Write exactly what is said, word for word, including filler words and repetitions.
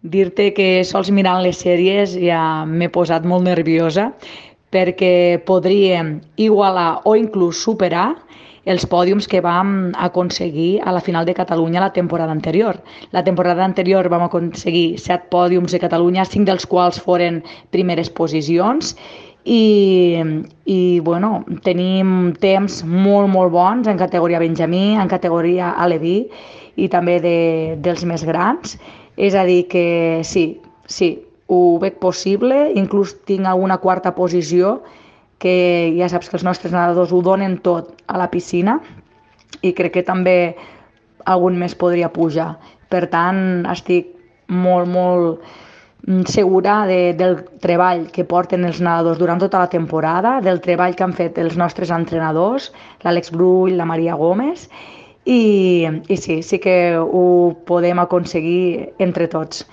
Dir-te que sols mirant les sèries ja m'he posat molt nerviosa perquè podríem igualar o inclús superar els pòdiums que vam aconseguir a la final de Catalunya la temporada anterior. La temporada anterior vam aconseguir set pòdiums de Catalunya, cinc dels quals foren primeres posicions, i, i bueno, tenim temps molt, molt bons en categoria Benjamí, en categoria Aleví i també de, dels més grans. És a dir que sí, sí, ho veig possible, inclús tinc alguna quarta posició, que ja saps que els nostres nedadors ho donen tot a la piscina, i crec que també algun més podria pujar. Per tant, estic molt, molt segura de, del treball que porten els nedadors durant tota la temporada, del treball que han fet els nostres entrenadors, l'Àlex Brull, la Maria Gómez, i, i sí, sí que ho podem aconseguir entre tots.